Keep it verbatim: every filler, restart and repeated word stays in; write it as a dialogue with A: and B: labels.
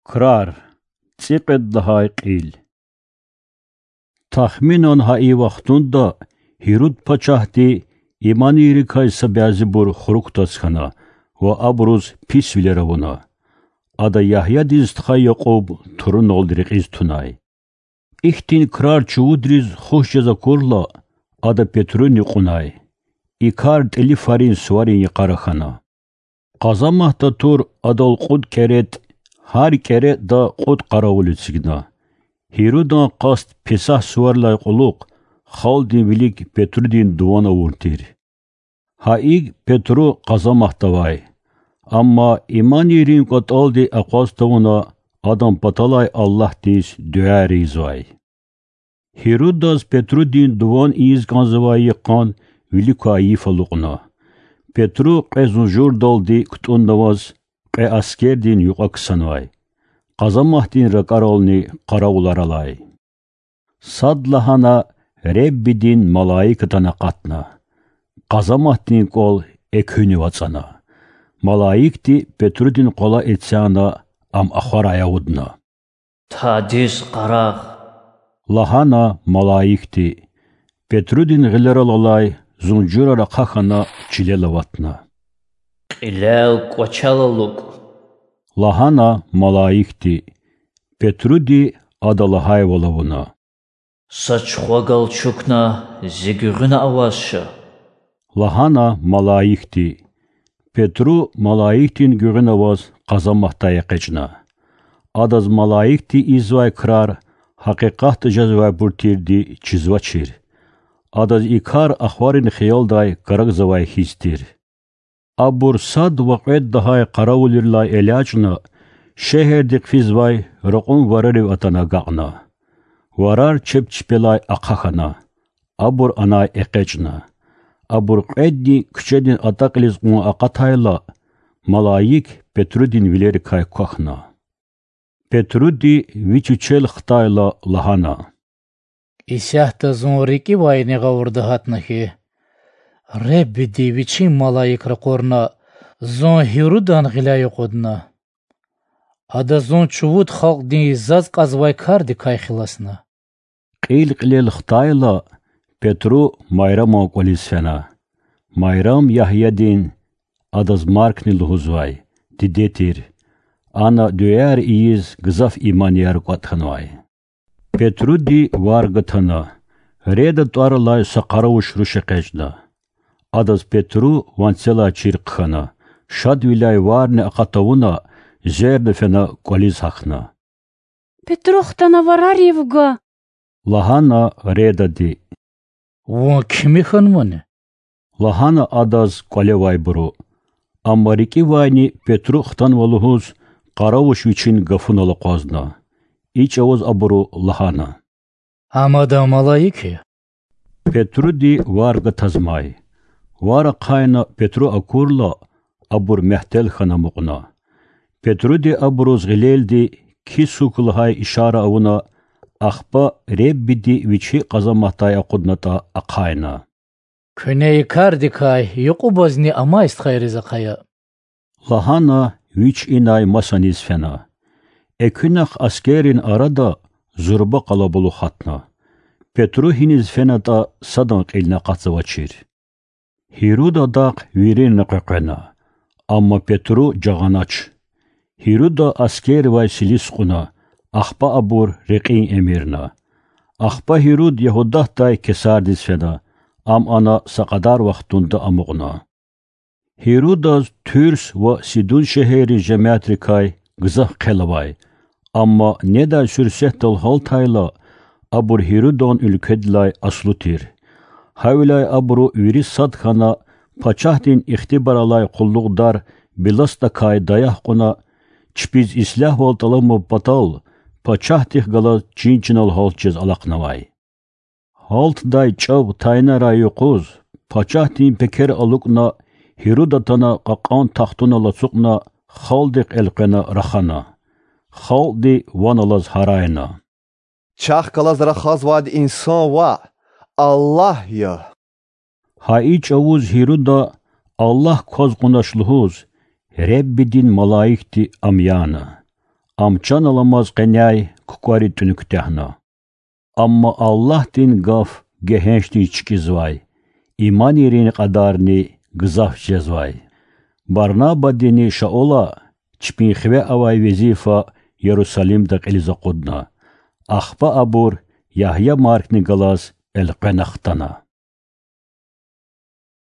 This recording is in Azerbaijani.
A: Krar, tsiqed dahay qil. Tahminan hai vaxtunda Hirud paçahti imaniri kaysa bazibur xuruktaskana ve abruz pis vileravuna. Ada Yahya diztxay Yaqub turun oldiriqiz tunay. İhtin krar çuvudriz xoşcaza kurla ada Petrun yuqunay. İkar teli farin suvarin yaqaraxana. Qazamahta tur adal qud keret har kere da qud qaravulitsigna. Hirudan qast pesah suvarlay quluq xaldin vilik Petrudin duvana vurtir. Haig Petru qazamahtavay. Amma imanirin qat aldi aqastavuna adam patalay Allah diz düərizvay. Hirudas Petrudin duvan iz qanzavay yaqan vilikayi faluqna. Petru qezunjur daldi kutundavaz qe askerdin yuqaksanvay. Qazamahdin raqarolni qaravlaralay. Sadlahana Rebbidin malaikatana qatna. Qazamahdin qol ekhüni vatsana. Malaikti Petrudin qola etsana am axaraya udna.
B: Tadis qaraq.
A: Lahana malaikti Petrudin gileralalay zunjura raqaxana çilelavatna.
B: Qilel qoçalaluk.
A: Lahana malaikti Petrudi adalahay volavuna.
B: Saçxogal çukna zigürüna avazşı.
A: Lahana malaikti Petru malaiktin gürün avaz qazamahtaya qecna. Adaz malaikti izvay krar haqiqat jazvay burtirdi çizvaçir. Adaz ikar axvarin xiyalday qaragzavay histir. Abur sad vaqet dahay qaravulirlay elachna şehirdik fizvay raqun varari atana gaqna. Varar çepçipelay aqaxana. Abur anay eqechna. Abur qeddi küçedin ataqliz qun aqatayla malayik Petrudin vileri kay qaxna. Petrudi viçuçel xtayla lahana.
C: İsahta zonriki vayni qavurdu hatnahi. Rebbi diviçin malayik raqorna zon Hirudan gilay qodna. Ada zon çuvud xalq din izzaz qazvay kardi kay xilasna.
A: Qil qilel xtayla Petru Mayram oqolisfena. Mayram Yahyadin adaz markni luhuzvay. Didetir. Ana düyer iyiz gızaf imaniyar qatxanvay. Petrudi vargatana. Reda tuarlay saqaravuş ruşeqejda. Adaz Petru vansela çirqxana. Şad vilay varni aqatavuna zerde fena qoliz haqna.
D: Petruxtana vararivga.
A: Lahana reda di.
C: Вон kimi xanmane?
A: Lahana adaz qolevay buru. Ammariki vayni Petru xtan valuhuz qaravuş viçin gafunala qazna. İç avaz aburu lahana.
C: Amada malayiki.
A: Petru di varga tazmay. Vara qayna Petru akurla abur mehtel xana muqna. Petru di aburuz gileldi ki sukulhay işara avuna axpa rebbidi viçi qazamahtay aqudnata aqayna.
C: Küney kardi kay yuqubazni ama istxayriza qaya.
A: Lahana viç inay masanis fena. Ekünax askerin arada zurba qalabulu xatna. Petru hiniz fenata sadan qilna qatsavaçir. Hiruda daq virin qaqana. Amma Petru jaganaç. Hiruda asker vay silisquna. Axpa abur reqin emirna. Axpa Hirud Yahudahtay kesardis fena. Am ana saqadar vaxtunda amuqna. Hirudaz Türs ve Sidun şehri cematrikay gızah qelavay. Amma neda sürsehtal haltayla abur Hirudon ülkedlay aslutir. Havlay aburu viri sadxana paçahdin ixtibaralay qulluqdar bilasta kay dayah quna çpiz islah voltalamı batal paçahdih gala cincinal haltçez alaqnavay. Halt day çav tayna rayu quz paçahdin peker aluqna Hirudatana qaqan taxtuna lasuqna xaldiq elqena raxana. Xaldi vanalaz harayna.
E: Çax qalazra xazvad insan va Allah ya.
A: Haiç avuz Hiruda Allah koz qunaşluhuz Rebbidin malaikti amyana. Amçan alamaz qenyay kukari tünüktehna. Amma Allah din gaf gehençti çikizvay. İman yerini qadarni gızaf cezvay. Barnaba dini şaola çpin xve avay vezifa Yerusalim'da qiliza qudna. Akhba abur Yahya Markni galas el qenaxtana.